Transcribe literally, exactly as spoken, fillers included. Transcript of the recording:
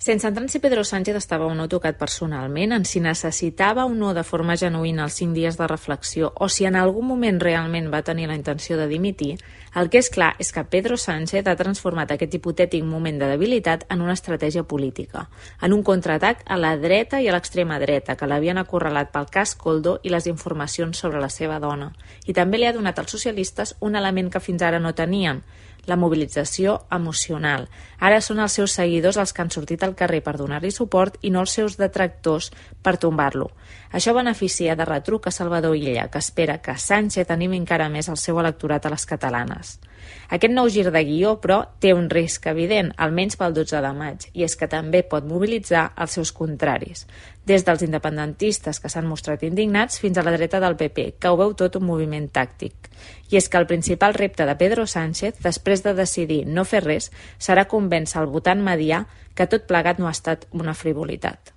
Sense entrar en si Pedro Sánchez estava o no tocat personalment, en si necessitava o no de forma genuïna els cinc dies de reflexió o si en algun moment realment va tenir la intenció de dimitir, el que és clar és que Pedro Sánchez ha transformat aquest hipotètic moment de debilitat en una estratègia política, en un contraatac a la dreta i a l'extrema dreta, que l'havien acorralat pel cas Koldo i les informacions sobre la seva dona. I també li ha donat als socialistes un element que fins ara no tenien, la mobilització emocional. Ara són els seus seguidors els que han sortit al carrer per donar-li suport i no els seus detractors per tombar-lo. Això beneficia de retruc a Salvador Illa, que espera que Sánchez animi encara més el seu electorat a les catalanes. Aquest nou gir de guió, però, té un risc evident, almenys pel dotze de maig, i és que també pot mobilitzar els seus contraris, des dels independentistes que s'han mostrat indignats fins a la dreta del P P, que ho veu tot un moviment tàctic. I és que el principal repte de Pedro Sánchez, després de decidir no fer res, serà convèncer el votant medià que tot plegat no ha estat una frivolitat.